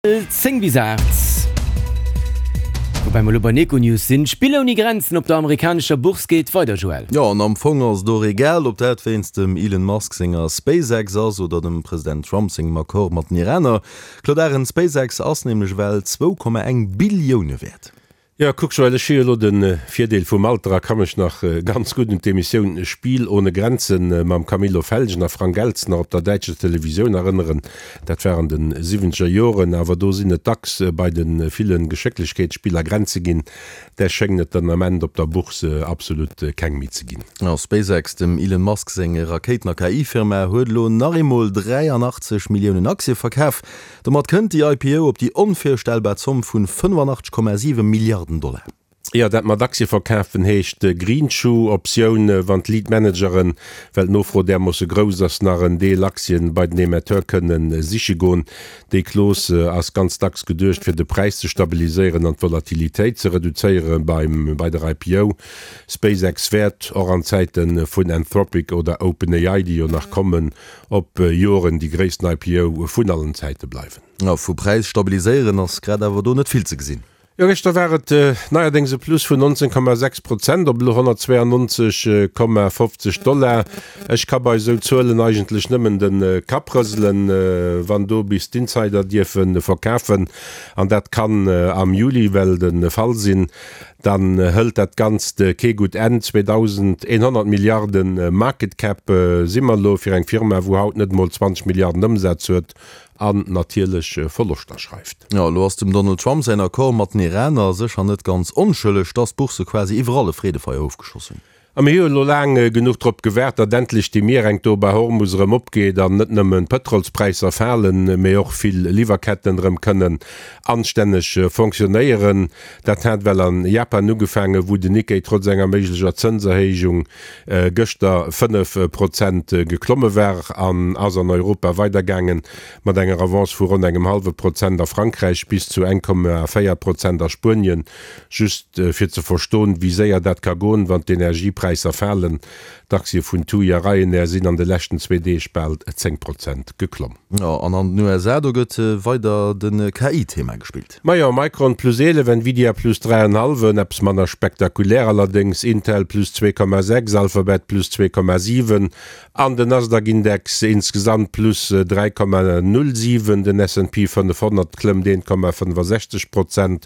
10 bis 8. Woubäi mer elo bei Nekonews sinn. D'Spill ouni Grenzen op der amerikanescher Bourse geet weider, Joël. Jo, an am Fong ass et och egal, ob dat wéinst dem Elon Musk senger SpaceX ass oder dem President Trump sengem Accord mat den Iraner. Claude Arend, SpaceX ass nämlech ewell 2,1 Billioune wäert. Jo, kuck Joël, ech hu jo elo de Virdeel vum Alter a ka mech nach ganz gutt un d'Emissioun Spiel ohne Grenzen mam Camillo Felgen a Frank Elstner op der däitscher Televisioun erënneren. Dat war an de siwwenzeger Joren, awer do sinn et dacks bei de ville Geschécklechkeetsspiller Grenze ginn. Där schéngen et den Ament op der Bourse absolut keng méi ze ginn. Jo, SpaceX, dem Elon Musk seng Rakéiten a KI-Firma, huet elo nach eemol 83 Milliounen Aktie verkaf. Domat kënnt déi IPO op déi onvirstellbar Zomm vun 85,7 Milliarden Dollar. Jo, dat mat Aktie verkafen heescht Greenshoe-Optioun, wann d'Lead Manageren, well d'Nofro därmoosse grouss ass, nach en Deel Aktien bei den Emetteur kënnen siche goen. Déi Clause ass ganz dacks geduecht fir de Präis ze stabiliséieren an d'Volatilitéit ze reduzéiere beim bei der IPO. SpaceX wäert, och an Zäite vun Anthropic oder OpenAI, déi jo nach kommen, op Joren déi gréissten IPO vun allen Zäite bleiwen. Jo, vu Präis stabiliséieren ass grad awer do net vill ze gesinn. Jo, gëschter war et neierdéngs e Plus vun 19,6 Prozent op elo 192,50 Dollar. Ech ka bei esou Zuelen eigentlech nëmmen de Kapp rëselen, wann do bis d'Insider dierfe verkafen, an dat kann am Juli well de Fall sinn, Dann hëlt dat Ganzt kee gutt Enn. 2.100 Milliarde Market Cap si mer elo fir eng Firma, wou haut net emol 20 Milliarden Ëmsaz huet an natierlech Verloschter schreift. Jo, elo ass dem Donald Trump säin Accord mat den Iraner sécher net ganz onschëlleg, dass d'Bourse quasi iwwerall e Freedefeier ofgeschoss hunn. A mir hu jo elo laang genuch drop gewaart, datt endlech déi Mierenk do bei Hormus erëm opgeet an net nëmmen d'Pëtrolspräisser falen, mee och vill Liwwerketten erëm kënnen anstänneg fonctionnéieren. Dat hat well an Japan ugefaangen, wou den Nikkei trotz enger méiglecher Zënserhéijung gëschter 5 Prozent geklomme war an ass an Europa weidergaangen mat enger Avance vu ronn engem hallwe Prozent a Frankräich bis zu 1,4 Prozent a Spuenien. Just fir ze verstoen, wéi séier dat ka goen, wann d'Energiepräisser falen, D'Aktie vun TUI a Ryanair sinn an de leschten zwee Deeg bal 10 Prozent geklomm. Jo, an an den USA, do gëtt weider de KI-Thema gespillt. Majo, Micron plus 11, Nvidia plus 3,5, eppes manner spektakulär allerdéngs, Intel plus 2,6, Alphabet plus 2,7 an den Nasdaq-Index insgesamt plus 3,07. Den S&P 500 klëmmt 1,65 Prozent.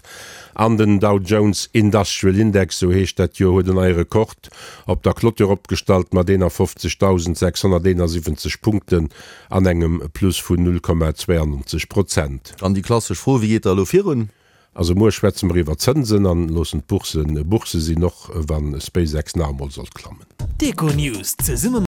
An den Dow Jones Industrial Index, sou heescht dat jo, huet en neie Rekord op der Clôture opgestallt mat 51.671 Punkten an engem Plus vun 0,92 Prozent. Dann déi klassesch Fro, Wéi geet da elo virun? Also muer schwätze mer iwwer Zënsen an loossen d'Boursen Bourse sinn, och wa SpaceX nach emol sollt klammen. D'Econews zesumme.